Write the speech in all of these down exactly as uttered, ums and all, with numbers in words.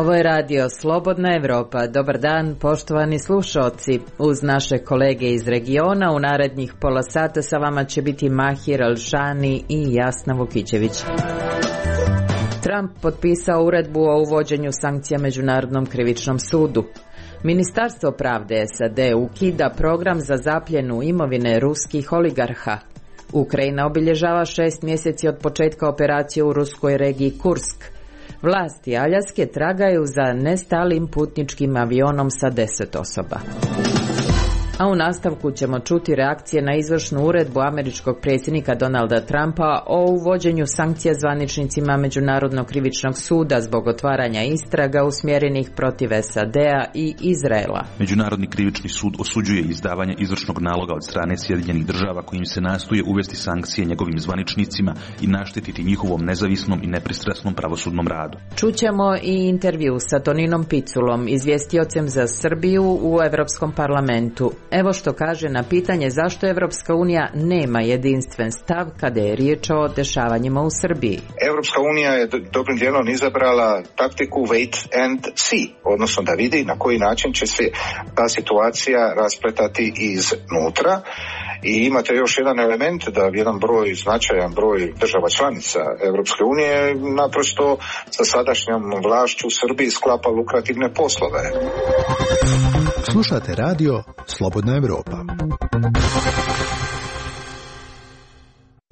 Ovo je radio Slobodna Evropa. Dobar dan, poštovani slušaoci. Uz naše kolege iz regiona u narednih pola sata sa vama će biti Mahir Alšani i Jasna Vukićević. Trump potpisao uredbu o uvođenju sankcija Međunarodnom krivičnom sudu. Ministarstvo pravde S A D ukida program za zapljenu imovine ruskih oligarha. Ukrajina obilježava šest mjeseci od početka operacije u ruskoj regiji Kursk. Vlasti Aljaske tragaju za nestalim putničkim avionom sa deset osoba. A u nastavku ćemo čuti reakcije na izvršnu uredbu američkog predsjednika Donalda Trumpa o uvođenju sankcija zvaničnicima Međunarodnog krivičnog suda zbog otvaranja istraga usmjerenih protiv S A D-a i Izraela. Međunarodni krivični sud osuđuje izdavanje izvršnog naloga od strane Sjedinjenih država kojim se nastoje uvesti sankcije njegovim zvaničnicima i naštetiti njihovom nezavisnom i nepristrasnom pravosudnom radu. Čućemo i intervju sa Toninom Piculom, izvjestiocem za Srbiju u Europskom parlamentu. Evo što kaže na pitanje zašto Evropska unija nema jedinstven stav kada je riječ o dešavanjima u Srbiji. Evropska unija je dobrim dijelom izabrala taktiku wait and see, odnosno da vidi na koji način će se ta situacija raspletati iznutra. I imate još jedan element da jedan broj, značajan broj država članica Evropske unije naprosto sa sadašnjom vlašću u Srbiji sklapa lukrativne poslove. Slušate radio Slobodna Evropa.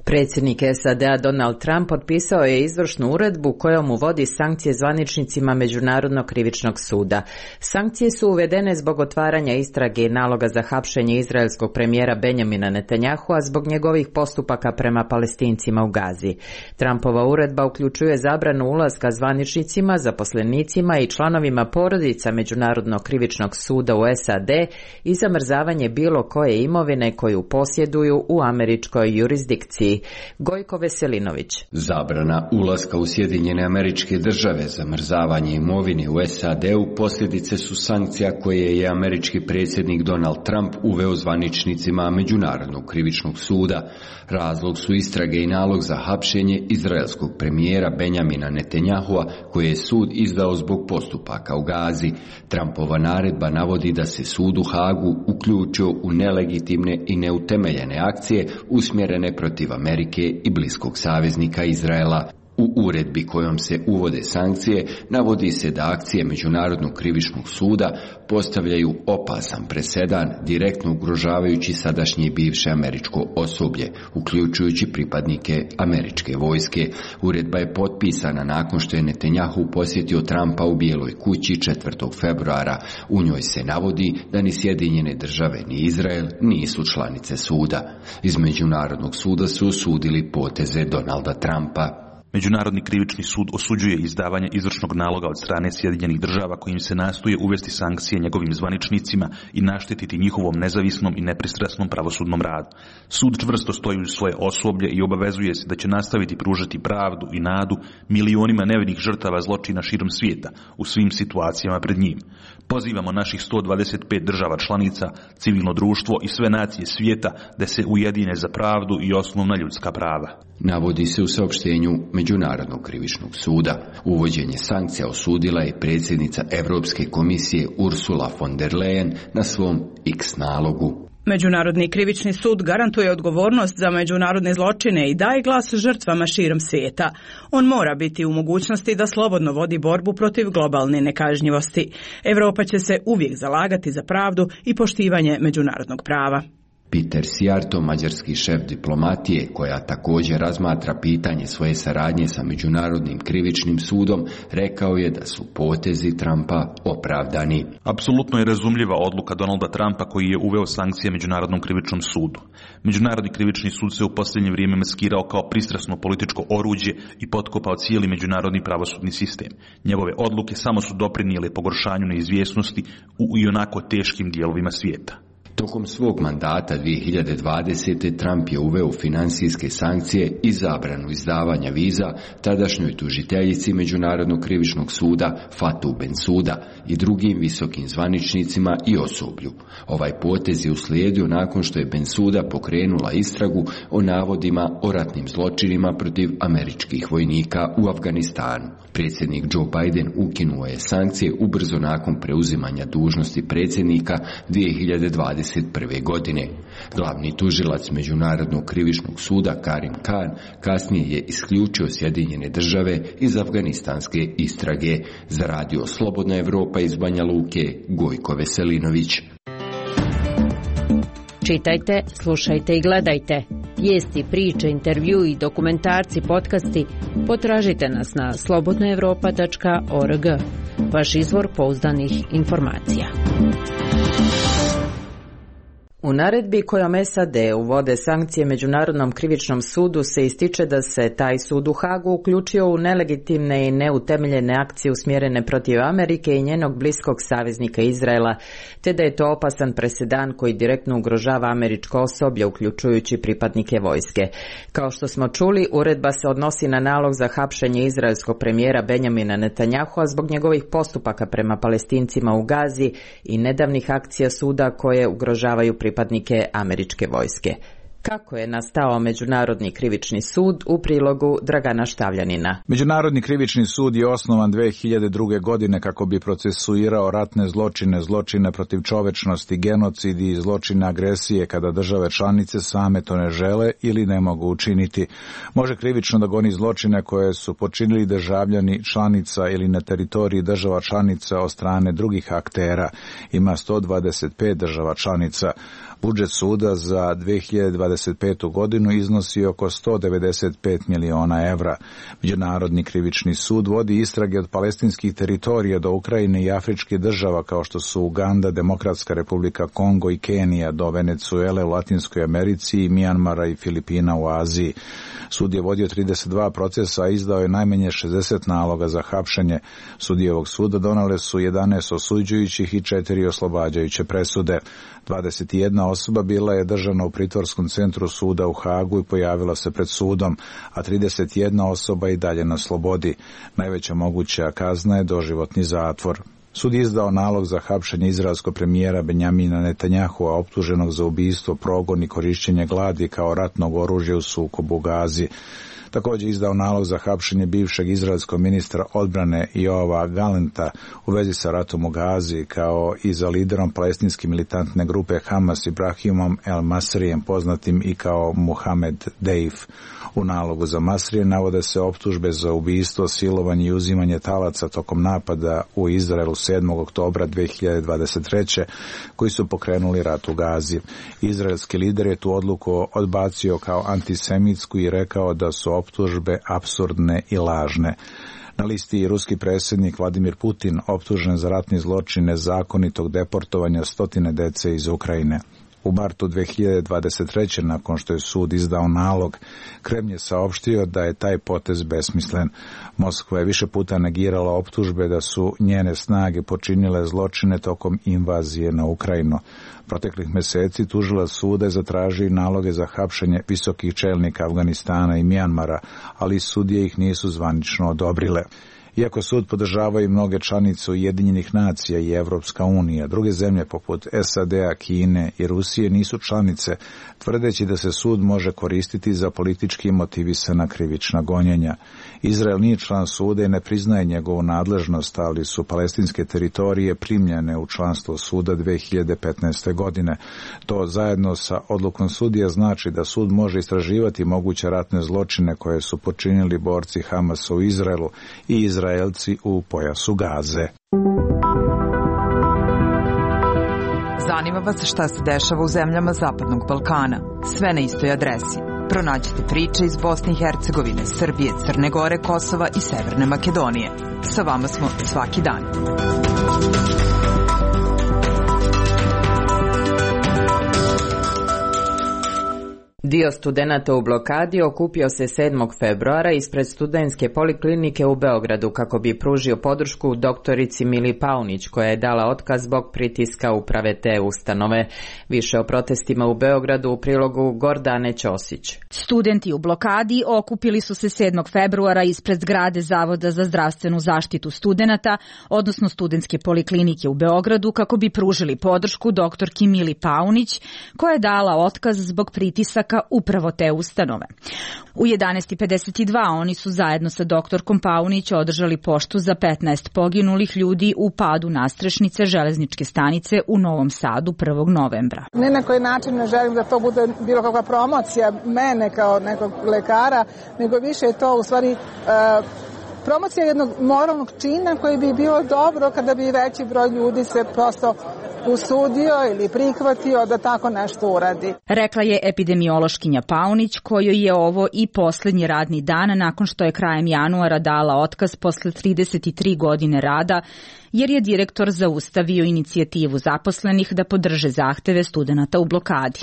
Predsjednik S A D-a Donald Trump potpisao je izvršnu uredbu kojom uvodi sankcije zvaničnicima Međunarodnog krivičnog suda. Sankcije su uvedene zbog otvaranja istrage i naloga za hapšenje izraelskog premijera Benjamina Netanyahua zbog njegovih postupaka prema Palestincima u Gazi. Trumpova uredba uključuje zabranu ulaska zvaničnicima, zaposlenicima i članovima porodica Međunarodnog krivičnog suda u S A D i zamrzavanje bilo koje imovine koju posjeduju u američkoj jurisdikciji. Gojko Veselinović. Zabrana ulaska u Sjedinjene Američke Države, zamrzavanje imovine u S A D-u posljedice su sankcija koje je američki predsjednik Donald Trump uveo zvaničnicima Međunarodnog krivičnog suda. Razlog su istrage i nalog za hapšenje izraelskog premijera Benjamina Netanyahua koje je sud izdao zbog postupaka u Gazi. Trumpova naredba navodi da se sud u Hagu uključio u nelegitimne i neutemeljene akcije usmjerene protiv Amerike i bliskog saveznika Izraela. U uredbi kojom se uvode sankcije navodi se da akcije Međunarodnog krivičnog suda postavljaju opasan presedan direktno ugrožavajući sadašnje i bivše američko osoblje, uključujući pripadnike američke vojske. Uredba je potpisana nakon što je Netanyahu posjetio Trumpa u Bijeloj kući četvrtog februara. U njoj se navodi da ni Sjedinjene države ni Izrael nisu članice suda. Iz Međunarodnog suda su osudili poteze Donalda Trumpa. Međunarodni krivični sud osuđuje izdavanje izvršnog naloga od strane Sjedinjenih država kojim se nastoje uvesti sankcije njegovim zvaničnicima i naštetiti njihovom nezavisnom i nepristrasnom pravosudnom radu. Sud čvrsto stoji uz svoje osoblje i obavezuje se da će nastaviti pružati pravdu i nadu milionima nevinih žrtava zločina širom svijeta u svim situacijama pred njim. Pozivamo naših sto dvadeset pet država članica, civilno društvo i sve nacije svijeta da se ujedine za pravdu i osnovna ljudska prava. Navodi se u saopštenju Međunarodnog krivičnog suda. Uvođenje sankcija osudila je predsjednica Europske komisije Ursula von der Leyen na svom X nalogu. Međunarodni krivični sud garantuje odgovornost za međunarodne zločine i daje glas žrtvama širom svijeta. On mora biti u mogućnosti da slobodno vodi borbu protiv globalne nekažnjivosti. Europa će se uvijek zalagati za pravdu i poštivanje međunarodnog prava. Peter Sijarto, mađarski šef diplomatije, koja također razmatra pitanje svoje saradnje sa Međunarodnim krivičnim sudom, rekao je da su potezi Trumpa opravdani. Apsolutno je razumljiva odluka Donalda Trumpa koji je uveo sankcije Međunarodnom krivičnom sudu. Međunarodni krivični sud se u posljednje vrijeme maskirao kao pristrasno političko oruđe i potkopao cijeli međunarodni pravosudni sistem. Njegove odluke samo su doprinijele pogoršanju neizvjesnosti u ionako teškim dijelovima svijeta. Tokom svog mandata dvije hiljade dvadesete. Trump je uveo finansijske sankcije i zabranu izdavanja viza tadašnjoj tužiteljici Međunarodnog krivičnog suda Fatou Bensouda i drugim visokim zvaničnicima i osoblju. Ovaj potez je uslijedio nakon što je Bensouda pokrenula istragu o navodima o ratnim zločinima protiv američkih vojnika u Afganistanu. Predsjednik Joe Biden ukinuo je sankcije ubrzo nakon preuzimanja dužnosti predsjednika dvije hiljade dvadeset prve. godine. Glavni tužilac Međunarodnog krivičnog suda Karim Khan kasnije je isključio Sjedinjene države iz afganistanske istrage. Za radio Slobodna Evropa iz Banja Luke, Gojko Veselinović. Čitajte, slušajte i gledajte. Vijesti, priče, intervju i dokumentarci, podcasti potražite nas na slobodna evropa tačka org. Vaš izvor pouzdanih informacija. U naredbi kojom S A D uvode sankcije Međunarodnom krivičnom sudu se ističe da se taj sud u Hagu uključio u nelegitimne i neutemeljene akcije usmjerene protiv Amerike i njenog bliskog saveznika Izraela, te da je to opasan presedan koji direktno ugrožava američko osoblje, uključujući pripadnike vojske. Kao što smo čuli, uredba se odnosi na nalog za hapšenje izraelskog premijera Benjamina Netanyahua zbog njegovih postupaka prema Palestincima u Gazi i nedavnih akcija suda koje ugrožavaju pripadnike američke vojske. Kako je nastao Međunarodni krivični sud, u prilogu Dragana Štavljanina. Međunarodni krivični sud je osnovan dvije hiljade druge. godine kako bi procesuirao ratne zločine, zločine protiv čovečnosti, genocidi i zločine agresije kada države članice same to ne žele ili ne mogu učiniti. Može krivično da goni zločine koje su počinili državljani članica ili na teritoriji država članica od strane drugih aktera. Ima sto dvadeset pet država članica. Budžet suda za dvije hiljade dvadeset petu. godinu iznosi oko sto devedeset pet miliona evra. Međunarodni krivični sud vodi istrage od palestinskih teritorija do Ukrajine i afričkih država kao što su Uganda, Demokratska republika Kongo i Kenija, do Venecuele u Latinskoj Americi, Mijanmara i Filipina u Aziji. Sud je vodio trideset dva procesa, a izdao je najmanje šezdeset naloga za hapšenje. Sudije ovog suda donale su jedanaest osuđujućih i četiri oslobađajuće presude. dvadeset jedna osoba bila je držana u pritvorskom centru suda u Hagu i pojavila se pred sudom, a trideset jedna osoba i dalje na slobodi. Najveća moguća kazna je doživotni zatvor. Sud je izdao nalog za hapšenje izraelskog premijera Benjamina Netanyahua, optuženog za ubistvo, progon i korišćenje gladi kao ratnog oružja u sukobu u Gazi. Također izdao nalog za hapšenje bivšeg izraelskog ministra odbrane Joava Galanta u vezi sa ratom u Gazi, kao i za liderom palestinske militantne grupe Hamas Ibrahimom El Masrijem, poznatim i kao Mohamed Deif. U nalogu za Masrije navode se optužbe za ubistvo, silovanje i uzimanje talaca tokom napada u Izraelu sedmog oktobra dvije hiljade dvadeset treće. koji su pokrenuli rat u Gazi. Izraelski lider je tu odluku odbacio kao antisemitsku i rekao da su optužbe apsurdne i lažne. Na listi je ruski predsjednik Vladimir Putin, optužen za ratni zločin nezakonitog deportovanja stotine dece iz Ukrajine. U martu dvije hiljade dvadeset treće. nakon što je sud izdao nalog, Kremlj je saopštio da je taj potez besmislen. Moskva je više puta negirala optužbe da su njene snage počinile zločine tokom invazije na Ukrajinu. Proteklih mjeseci tužilac suda je zatražio i naloge za hapšenje visokih čelnika Afganistana i Mijanmara, ali sudije ih nisu zvanično odobrile. Iako sud podržavaju mnoge članice Ujedinjenih nacija i Evropska unija, druge zemlje poput S A D-a, Kine i Rusije nisu članice, tvrdeći da se sud može koristiti za politički motivisana krivična gonjenja. Izrael nije član suda i ne priznaje njegovu nadležnost, ali su palestinske teritorije primljene u članstvo suda dvije hiljade petnaeste. godine. To zajedno sa odlukom sudija znači da sud može istraživati moguće ratne zločine koje su počinili borci Hamasa u Izraelu i Izraelci u pojasu Gaze. Zanima vas šta se dešava u zemljama Zapadnog Balkana? Sve na istoj adresi. Pronađite priče iz Bosne i Hercegovine, Srbije, Crne Gore, Kosova i Severne Makedonije. Sa vama smo svaki dan. Dio studenata u blokadi okupio se sedmog februara ispred studentske poliklinike u Beogradu kako bi pružio podršku doktorici Mili Paunić koja je dala otkaz zbog pritiska uprave te ustanove. Više o protestima u Beogradu u prilogu Gordane Ćosić. Studenti u blokadi okupili su se sedmog februara ispred zgrade Zavoda za zdravstvenu zaštitu studenata, odnosno studentske poliklinike u Beogradu kako bi pružili podršku doktorki Mili Paunić koja je dala otkaz zbog pritisaka upravo te ustanove. U jedanaest i pedeset dva oni su zajedno sa doktorkom Paunić održali poštu za petnaest poginulih ljudi u padu nastrešnice železničke stanice u Novom Sadu prvog novembra. Ni na koji način ne želim da to bude bilo kakva promocija mene kao nekog lekara, nego više je to u stvari uh, promocija jednog moralnog čina koji bi bilo dobro kada bi veći broj ljudi se prosto usudio ili prihvatio da tako nešto uradi. Rekla je epidemiološkinja Paunić, kojoj je ovo i poslednji radni dan nakon što je krajem januara dala otkaz posle trideset tri godine rada, jer je direktor zaustavio inicijativu zaposlenih da podrže zahteve studenata u blokadi.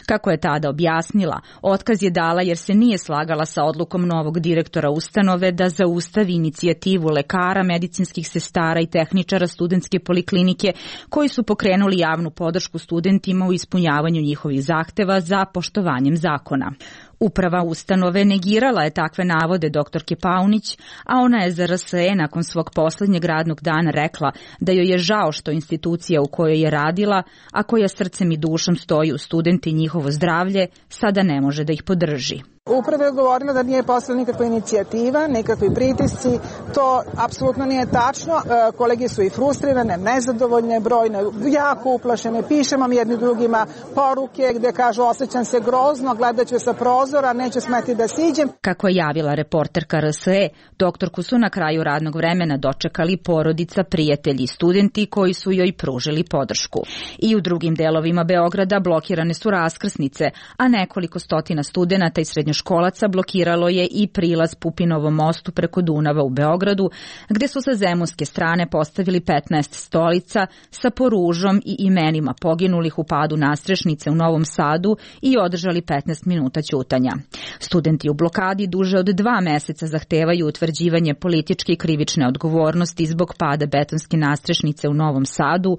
Kako je tada objasnila, otkaz je dala jer se nije slagala sa odlukom novog direktora ustanove da zaustavi inicijativu lekara, medicinskih sestara i tehničara studentske poliklinike koji su pokrenuli javnu podršku studentima u ispunjavanju njihovih zahteva za poštovanjem zakona. Uprava ustanove negirala je takve navode doktorke Paunić, a ona je za R S E nakon svog poslednjeg radnog dana rekla da joj je žao što institucija u kojoj je radila, a koja srcem i dušom stoji u studenti i njihovo zdravlje, sada ne može da ih podrži. Uprava je govorila da nije postojala nikakva inicijativa, nikakvi pritisci, to apsolutno nije tačno. E, kolege su i frustrirane, nezadovoljne, brojne, jako uplašene, pišemo mi jedni drugima poruke gde kažu osjećam se grozno, gledat ću sa prozora, neću smeti da siđem. Kako je javila reporterka R S E, doktorku su na kraju radnog vremena dočekali porodica, prijatelji i studenti koji su joj pružili podršku. I u drugim delovima Beograda blokirane su raskrsnice, a nekoliko stotina studenata i srednjoškolaca školaca blokiralo je i prilaz Pupinovom mostu preko Dunava u Beogradu, gde su sa zemunske strane postavili petnaest stolica sa poružom i imenima poginulih u padu nastrešnice u Novom Sadu i održali petnaest minuta ćutanja. Studenti u blokadi duže od dva meseca zahtevaju utvrđivanje političke i krivične odgovornosti zbog pada betonske nastrešnice u Novom Sadu,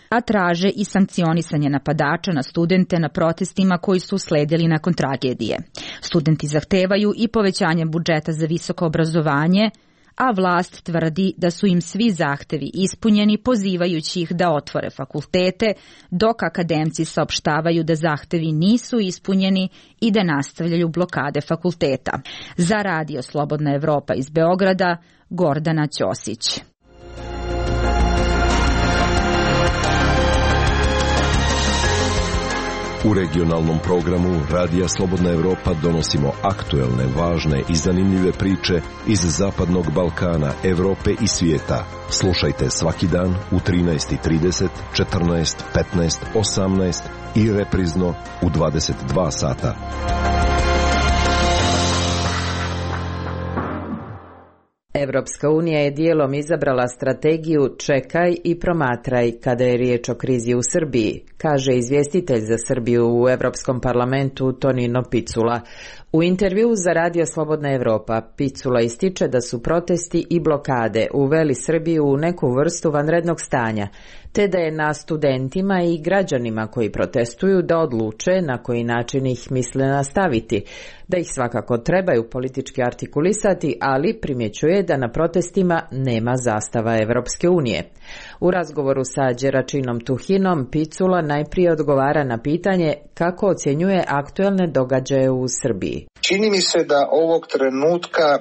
a traže i sankcionisanje napadača na studente na protestima koji su usledili nakon tragedije. Studenti zahtevaju i povećanje budžeta za visoko obrazovanje, a vlast tvrdi da su im svi zahtevi ispunjeni, pozivajući ih da otvore fakultete, dok akademci saopštavaju da zahtevi nisu ispunjeni i da nastavljaju blokade fakulteta. Za Radio Slobodna Evropa iz Beograda, Gordana Ćosić. U regionalnom programu Radija Slobodna Evropa donosimo aktuelne, važne i zanimljive priče iz Zapadnog Balkana, Evrope i svijeta. Slušajte svaki dan u trinaest i trideset, četrnaest, petnaest, osamnaest i reprizno u dvadeset dva sata. Evropska unija je dijelom izabrala strategiju čekaj i promatraj kada je riječ o krizi u Srbiji, kaže izvjestitelj za Srbiju u Evropskom parlamentu Tonino Picula. U intervjuu za Radio Slobodna Evropa Picula ističe da su protesti i blokade uveli Srbiju u neku vrstu vanrednog stanja, te da je na studentima i građanima koji protestuju da odluče na koji način ih misle nastaviti, da ih svakako trebaju politički artikulisati, ali primjećuje da na protestima nema zastava Evropske unije. U razgovoru sa Đeračinom Tuhinom Picula najprije odgovara na pitanje kako ocjenjuje aktuelne događaje u Srbiji. Čini mi se da ovog trenutka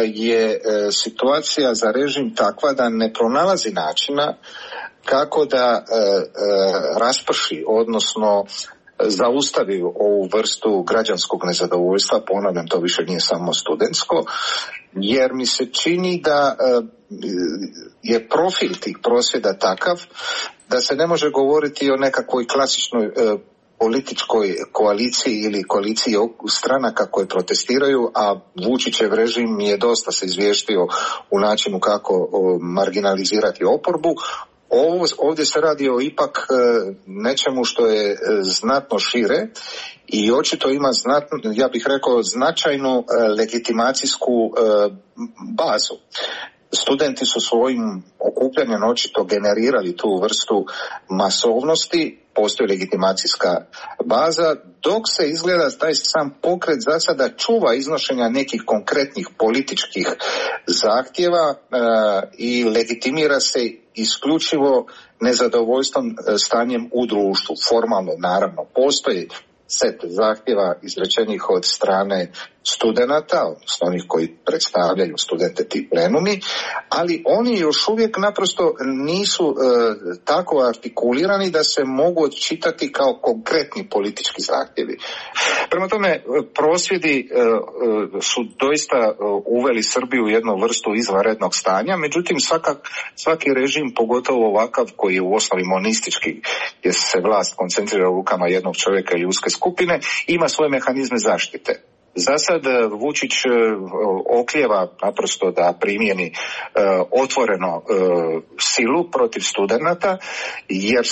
je situacija za režim takva da ne pronalazi načina kako da e, e, rasprši, odnosno zaustavi ovu vrstu građanskog nezadovoljstva, ponavljam, to više nije samo studentsko, jer mi se čini da e, je profil tih prosvjeda takav da se ne može govoriti o nekakvoj klasičnoj e, političkoj koaliciji ili koaliciji stranaka koje protestiraju, a Vučićev režim je dosta se izvještio u načinu kako marginalizirati oporbu. Ovo, ovdje se radi o ipak nečemu što je znatno šire i očito ima znatno, ja bih rekao, značajnu legitimacijsku bazu. Studenti su svojim okupljanjem očito generirali tu vrstu masovnosti, postoji legitimacijska baza, dok se izgleda taj sam pokret za sada čuva iznošenja nekih konkretnih političkih zahtjeva e, i legitimira se isključivo nezadovoljstvom stanjem u društvu. Formalno, naravno, postoji set zahtjeva izrečenih od strane studenata, odnosno onih koji predstavljaju studente ti plenumi, ali oni još uvijek naprosto nisu e, tako artikulirani da se mogu odčitati kao konkretni politički zahtjevi. Prema tome, prosvjedi e, e, su doista uveli Srbiju u jednu vrstu izvanrednog stanja, međutim svaka, svaki režim, pogotovo ovakav koji je u osnovi monistički, gdje se vlast koncentrira u rukama jednog čovjeka ili uske skupine, ima svoje mehanizme zaštite. Za sad Vučić oklijeva naprosto da primjeni e, otvoreno e, silu protiv studenata, jer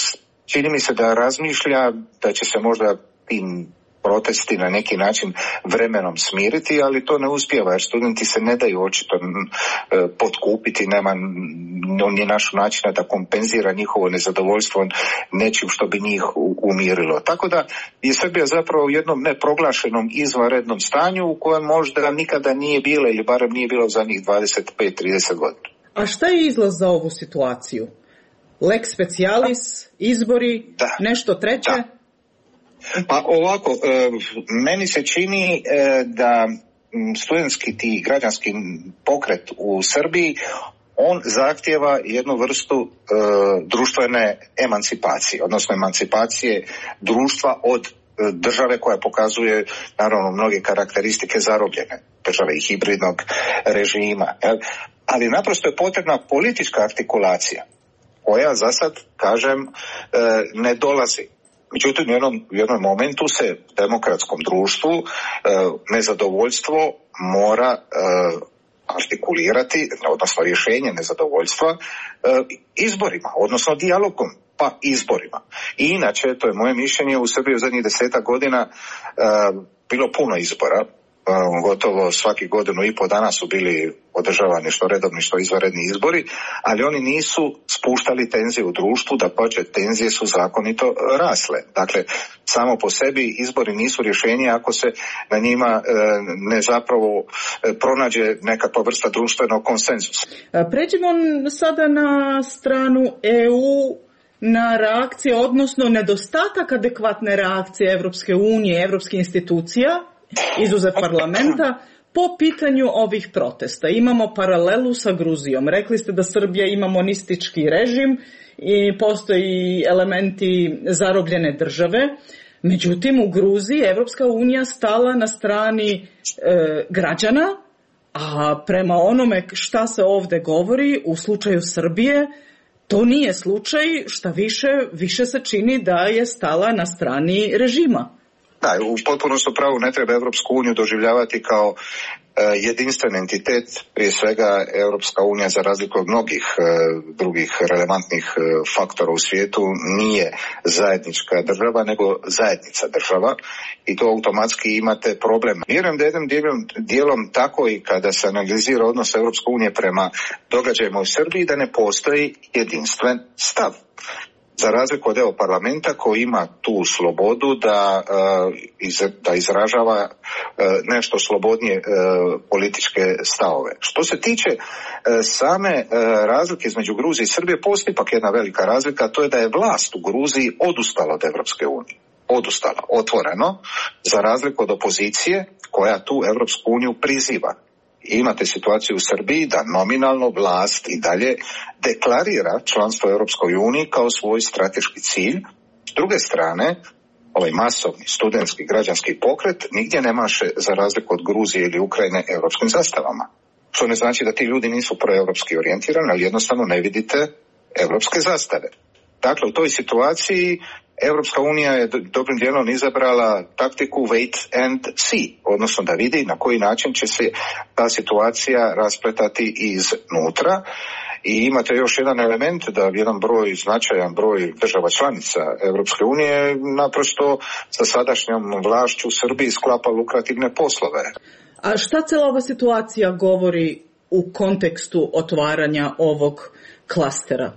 čini mi se da razmišlja da će se možda tim protesti na neki način vremenom smiriti, ali to ne uspijeva jer studenti se ne daju očito e, potkupiti, nema ni našu načina da kompenzira njihovo nezadovoljstvo nečim što bi njih umirilo. Tako da je Srbija zapravo u jednom neproglašenom izvanrednom stanju u kojem možda nikada nije bila ili barem nije bila u zadnjih dvadeset pet trideset godina. A šta je izlaz za ovu situaciju? Lex specialis, izbori, da. Nešto treće? Da. Pa ovako, meni se čini da studentski ti građanski pokret u Srbiji, on zahtjeva jednu vrstu društvene emancipacije, odnosno emancipacije društva od države koja pokazuje naravno mnoge karakteristike zarobljene države i hibridnog režima. Ali naprosto je potrebna politička artikulacija koja za sad, kažem, ne dolazi. Međutim, u jednom, u jednom momentu se demokratskom društvu e, nezadovoljstvo mora e, artikulirati, odnosno rješenje nezadovoljstva e, izborima, odnosno dijalogom, pa izborima. I inače, to je moje mišljenje, u Srbiji u zadnjih desetak godina e, bilo puno izbora. Gotovo svaki godinu i po dana su bili održavani što redovni što izvanredni izbori, ali oni nisu spuštali tenzije u društvu, dapače tenzije su zakonito rasle. Dakle, samo po sebi izbori nisu rješenje ako se na njima ne zapravo pronađe nekakva vrsta društvenog konsenzusa. Pređimo sada na stranu E U, na reakcije, odnosno nedostatak adekvatne reakcije Evropske unije, evropskih institucija, izuzev parlamenta, po pitanju ovih protesta. Imamo paralelu sa Gruzijom. Rekli ste da Srbija ima monistički režim i postoji elementi zarobljene države. Međutim, u Gruziji Evropska unija stala na strani e, građana, a prema onome šta se ovdje govori, u slučaju Srbije, to nije slučaj, šta više, više se čini da je stala na strani režima. Da, u potpunosti pravu ne treba Europsku uniju doživljavati kao e, jedinstven entitet, prije svega Europska unija za razliku od mnogih e, drugih relevantnih e, faktora u svijetu nije zajednička država nego zajednica država i to automatski imate problem. Vjerujem da jednim dijelom, dijelom tako i kada se analizira odnos Europske unije prema događajima u Srbiji da ne postoji jedinstven stav. Za razliku od evo parlamenta koji ima tu slobodu da, da izražava nešto slobodnije političke stavove. Što se tiče same razlike između Gruzije i Srbije, postoji ipak jedna velika razlika, a to je da je vlast u Gruziji odustala od Europske unije. Odustala, otvoreno, za razliku od opozicije koja tu Europsku uniju priziva. Imate situaciju u Srbiji da nominalno vlast i dalje deklarira članstvo u Europskoj uniji kao svoj strateški cilj. S druge strane, ovaj masovni studentski građanski pokret nigdje ne maše za razliku od Gruzije ili Ukrajine europskim zastavama. Što ne znači da ti ljudi nisu proeuropski orijentirani, ali jednostavno ne vidite europske zastave. Dakle, u toj situaciji Europska unija je dobrim dijelom izabrala taktiku wait and see, odnosno da vidi na koji način će se ta situacija raspletati iznutra I imate još jedan element da jedan broj, značajan broj država članica Europske unije naprosto sa sadašnjom vlašću u Srbiji sklapa lukrativne poslove. A šta cijela ova situacija govori u kontekstu otvaranja ovog klastera?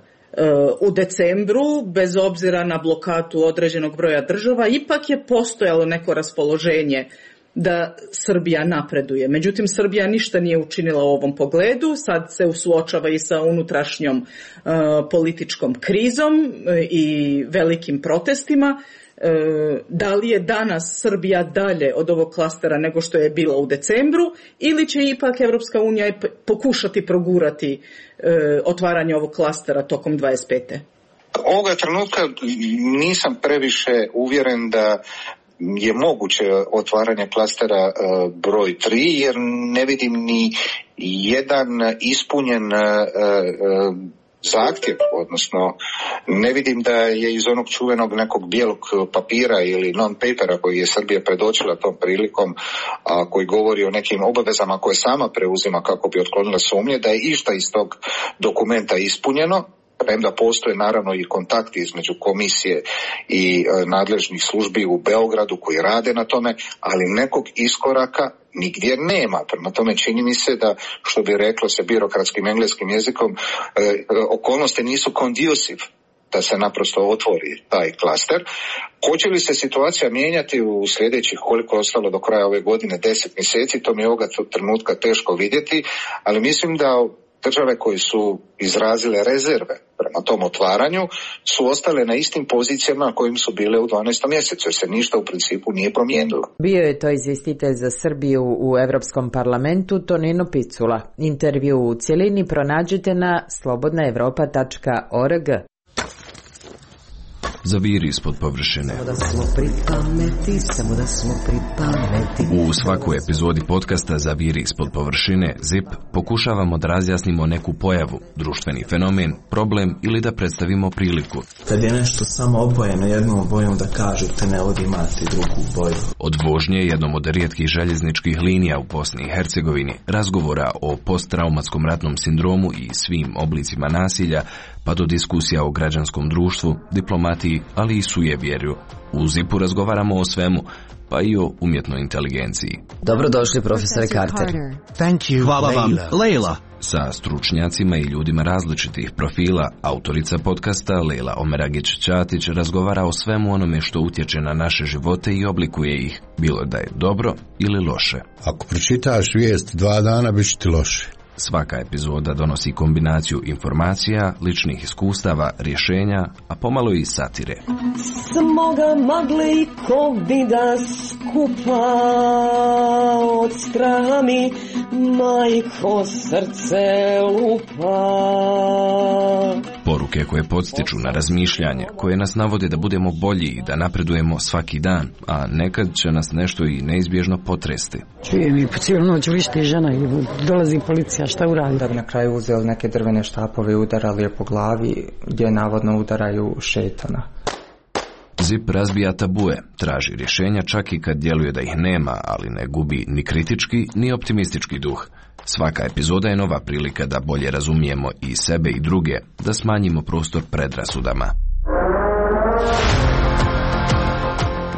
U decembru, bez obzira na blokadu određenog broja država, ipak je postojalo neko raspoloženje da Srbija napreduje. Međutim, Srbija ništa nije učinila u ovom pogledu, sad se suočava i sa unutrašnjom uh, političkom krizom i velikim protestima. Uh, da li je danas Srbija dalje od ovog klastera nego što je bila u decembru, ili će ipak Evropska unija pokušati progurati uh, otvaranje ovog klastera tokom dvadeset pete. Ovoga trenutka nisam previše uvjeren da je moguće otvaranje klastera uh, broj tri, jer ne vidim ni jedan ispunjen uh, uh, zahtjev, odnosno ne vidim da je iz onog čuvenog nekog bijelog papira ili non-papera koji je Srbija predočila tom prilikom, a koji govori o nekim obavezama koje sama preuzima kako bi otklonila sumnje, da je išta iz tog dokumenta ispunjeno. Premda postoje naravno i kontakti između komisije i e, nadležnih službi u Beogradu koji rade na tome, ali nekog iskoraka nigdje nema. Prema tome čini mi se da, što bi reklo se birokratskim engleskim jezikom, e, okolnosti nisu conducive da se naprosto otvori taj klaster. Hoće li se situacija mijenjati u sljedećih, koliko je ostalo do kraja ove godine, deset mjeseci, to mi je ovoga trenutka teško vidjeti, ali mislim da države koje su izrazile rezerve prema tom otvaranju su ostale na istim pozicijama na kojim su bile u dvanaestom mjesecu, jer se ništa u principu nije promijenilo. Bio je to izvjestitelj za Srbiju u Europskom parlamentu Tonino Picula. Intervju u cjelini pronađite na slobodna europa tačka org. Zaviri ispod površine. Samo da smo pripameti, samo da smo pripameti. U svakoj epizodi podcasta Zaviri ispod površine, zip, pokušavamo da razjasnimo neku pojavu, društveni fenomen, problem ili da predstavimo priliku. Kad je nešto samo obojeno jednom bojom, da kažete ne vodi imati drugu boju. Od vožnje jednom od rijetkih željezničkih linija u Bosni i Hercegovini, razgovora o posttraumatskom ratnom sindromu i svim oblicima nasilja, pa do diskusija o građanskom društvu, diplomatiji, ali i sujevjerju. U zipu razgovaramo o svemu, pa i o umjetnoj inteligenciji. Dobrodošli, profesore Carter. Thank you, hvala vam, Leila. Sa stručnjacima i ljudima različitih profila, autorica podcasta Leila Omeragić-Ćatić razgovara o svemu onome što utječe na naše živote i oblikuje ih, bilo da je dobro ili loše. Ako pročitaš vijest dva dana, bit će ti loše. Svaka epizoda donosi kombinaciju informacija, ličnih iskustava, rješenja, a pomalo i satire. Smoga magle i kovida skupa od straha mi majko srce lupa. Poruke koje podstiču na razmišljanje, koje nas navode da budemo bolji i da napredujemo svaki dan, a nekad će nas nešto i neizbježno potresti. Čujem i po cijelu noć vrišti žena i dolazi policija, šta uradi? Da bi na kraju uzeli neke drvene štapove i udarali je po glavi, gdje navodno udaraju šetana. Zip razbija tabue, traži rješenja čak i kad djeluje da ih nema, ali ne gubi ni kritički ni optimistički duh. Svaka epizoda je nova prilika da bolje razumijemo i sebe i druge, da smanjimo prostor predrasudama.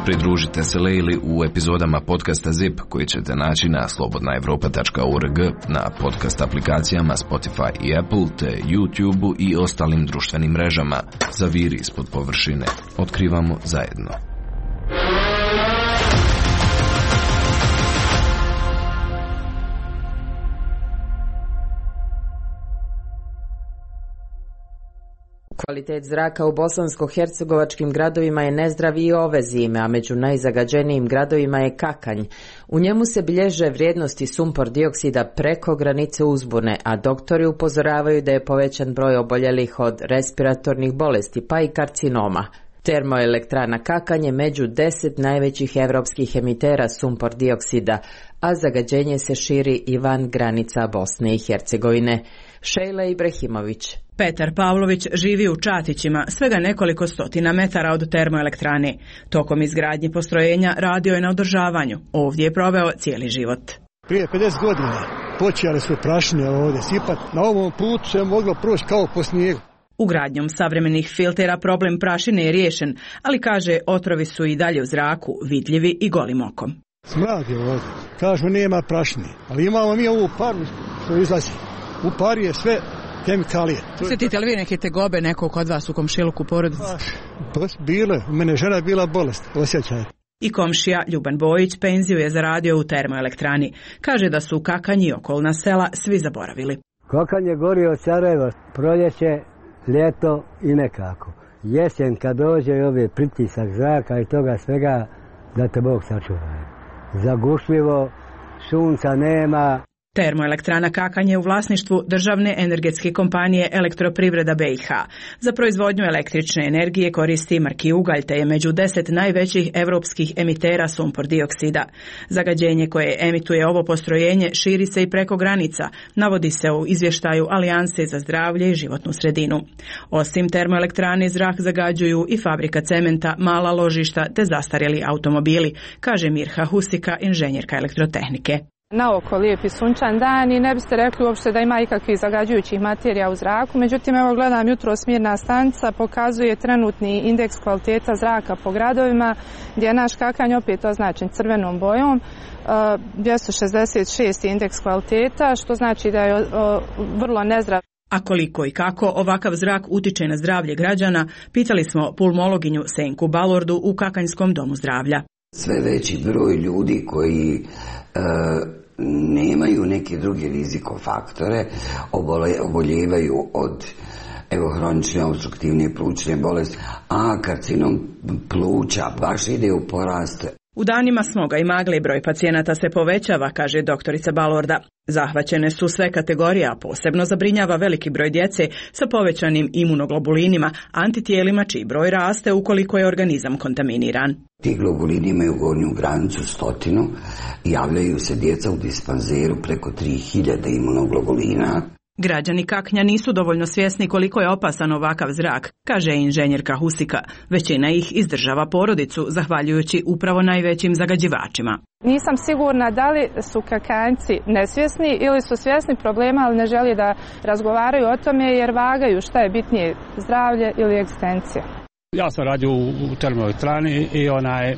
Pridružite se Leili u epizodama podcasta Zip koji ćete naći na slobodna europa tačka org, na podcast aplikacijama Spotify i Apple, te YouTube i ostalim društvenim mrežama. Zaviri ispod površine. Otkrivamo zajedno. Kvalitet zraka u bosansko-hercegovačkim gradovima je nezdrav i ove zime, a među najzagađenijim gradovima je Kakanj. U njemu se bilježe vrijednosti sumpor dioksida preko granice uzbune, a doktori upozoravaju da je povećan broj oboljelih od respiratornih bolesti, pa i karcinoma. Termoelektrana Kakanj je među deset najvećih evropskih emitera sumpor dioksida, a zagađenje se širi i van granica Bosne i Hercegovine. Šejla Ibrahimović. Petar Pavlović živi u Čatićima, svega nekoliko stotina metara od termoelektrane. Tokom izgradnje postrojenja radio je na održavanju. Ovdje je proveo cijeli život. Prije pedeset godina počeli su prašine ovdje sipati. Na ovom putu se je moglo proći kao po snijegu. Ugradnjom savremenih filtera problem prašine je riješen, ali kaže otrovi su i dalje u zraku, vidljivi i golim okom. Smrad je ovdje. Kažu nema prašine, ali imamo mi ovu paru što izlazi. U pari je sve kemikalije. Osjetite li vi neke tegobe nekog kod vas u komšiluku porodici? Pa, bile, u mene žena je bila bolest, osjećaj. I komšija Ljuban Bojić penziju je zaradio u termoelektrani. Kaže da su Kakanj i okolna sela svi zaboravili. Kakanj je gorio od Sarajeva, proljeće, ljeto i nekako. Jesen kad dođe ove pritisak zraka i toga svega, da te Bog sačuva. Zagušljivo, sunca nema. Termoelektrana Kakanj je u vlasništvu državne energetske kompanije Elektroprivreda B i H. Za proizvodnju električne energije koristi marki ugalj, te je među deset najvećih europskih emitera sumpor dioksida. Zagađenje koje emituje ovo postrojenje širi se i preko granica, navodi se u izvještaju Alijanse za zdravlje i životnu sredinu. Osim termoelektrane, zrak zagađuju i fabrika cementa, mala ložišta te zastarjeli automobili, kaže Mirha Husika, inženjerka elektrotehnike. Naoko lijepi sunčan dan i ne biste rekli uopšte da ima ikakvih zagađujućih materija u zraku. Međutim, evo gledam jutros mjerna stanica, pokazuje trenutni indeks kvaliteta zraka po gradovima, gdje je naš Kakanj opet označen crvenom bojom. dvjesto šezdeset šest indeks kvaliteta, što znači da je vrlo nezdrav. A koliko i kako ovakav zrak utiče na zdravlje građana, pitali smo pulmologinju Senku Balordu u Kakanjskom domu zdravlja. Sve veći broj ljudi koji e, nemaju neke druge rizikofaktore, oboljevaju od evo, hronične obstruktivne plućne bolesti, a karcinom pluća baš ide u porast. U danima smoga i magle broj pacijenata se povećava, kaže doktorica Balorda. Zahvaćene su sve kategorije, a posebno zabrinjava veliki broj djece sa povećanim imunoglobulinima, antitijelima čiji broj raste ukoliko je organizam kontaminiran. Ti globulini imaju gornju granicu stotinu, javljaju se djeca u dispanzeru preko tri hiljade imunoglobulina. Građani Kaknja nisu dovoljno svjesni koliko je opasan ovakav zrak, kaže inženjerka Husika. Većina ih izdržava porodicu, zahvaljujući upravo najvećim zagađivačima. Nisam sigurna da li su Kakanjci nesvjesni ili su svjesni problema, ali ne želi da razgovaraju o tome jer vagaju šta je bitnije, zdravlje ili egzistencija. Ja sam radio u, u termoelektrani i onaj,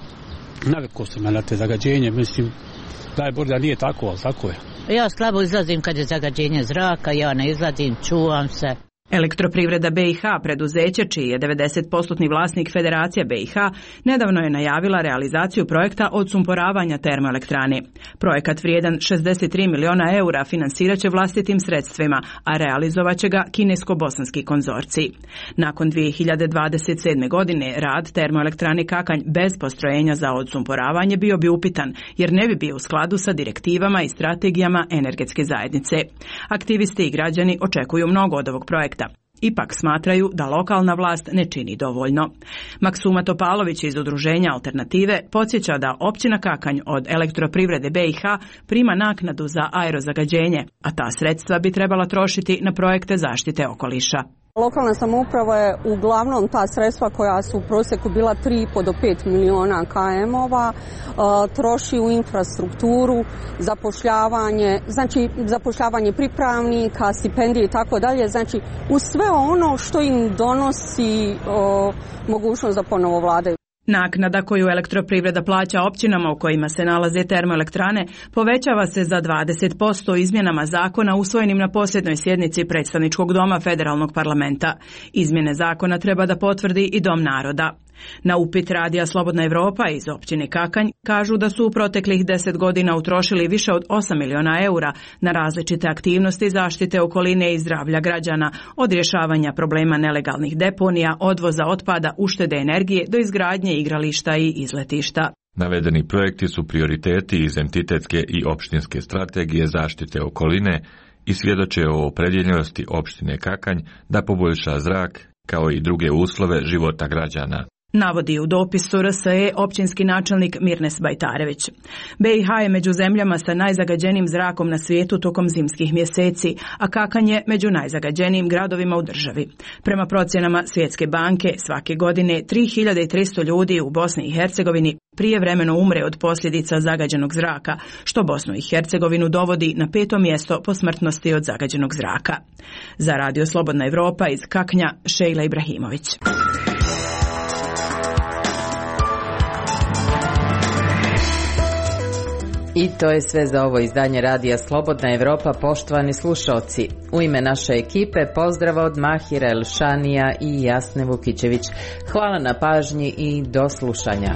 navikao sam na te zagađenje, mislim, daj Bog da nije tako, ali tako je. Ja slabo izlazim kad je zagađenje zraka, ja ne izlazim, čuvam se. Elektroprivreda B i H, preduzeće čiji je devedeset posto vlasnik Federacija B i H, nedavno je najavila realizaciju projekta odsumporavanja termoelektrane. Projekat vrijedan šezdeset tri miliona eura finansirat će vlastitim sredstvima, a realizovat će ga kinesko-bosanski konzorcij. Nakon dvije hiljade dvadeset sedme. godine rad termoelektrane Kakanj bez postrojenja za odsumporavanje bio bi upitan, jer ne bi bio u skladu sa direktivama i strategijama energetske zajednice. Aktivisti i građani očekuju mnogo od ovog projekta. Ipak smatraju da lokalna vlast ne čini dovoljno. Maksuma Topalović iz udruženja Alternative podsjeća da općina Kakanj od Elektroprivrede B i H prima naknadu za aerozagađenje, a ta sredstva bi trebala trošiti na projekte zaštite okoliša. Lokalna samouprava je uglavnom ta sredstva koja su u prosjeku bila tri i po do pet miliona km-ova troši u infrastrukturu, zapošljavanje, znači zapošljavanje pripravnika, stipendije i tako dalje, znači u sve ono što im donosi o, mogućnost da ponovo vladaju. Naknada koju Elektroprivreda plaća općinama u kojima se nalaze termoelektrane povećava se za dvadeset posto izmjenama zakona usvojenim na posljednjoj sjednici Predstavničkog doma Federalnog parlamenta. Izmjene zakona treba da potvrdi i Dom naroda. Na upit radija Slobodna Evropa iz općine Kakanj kažu da su u proteklih deset godina utrošili više od osam miliona eura na različite aktivnosti zaštite okoline i zdravlja građana, od rješavanja problema nelegalnih deponija, odvoza otpada, uštede energije do izgradnje igrališta i izletišta. Navedeni projekti su prioriteti iz entitetske i opštinske strategije zaštite okoline i svjedoče o opredjeljenosti opštine Kakanj da poboljša zrak kao i druge uslove života građana. Navodi u dopisu R S E općinski načelnik Mirnes Bajtarević. B i H je među zemljama sa najzagađenijim zrakom na svijetu tokom zimskih mjeseci, a Kakanj je među najzagađenijim gradovima u državi. Prema procjenama Svjetske banke, svake godine tri hiljade tristo ljudi u Bosni i Hercegovini prijevremeno umre od posljedica zagađenog zraka, što Bosnu i Hercegovinu dovodi na peto mjesto po smrtnosti od zagađenog zraka. Za Radio Slobodna Evropa iz Kaknja, Šejla Ibrahimović. I to je sve za ovo izdanje Radija Slobodna Evropa, poštovani slušalci. U ime naše ekipe pozdrav od Mahira Elšanija i Jasne Vukićević. Hvala na pažnji i do slušanja.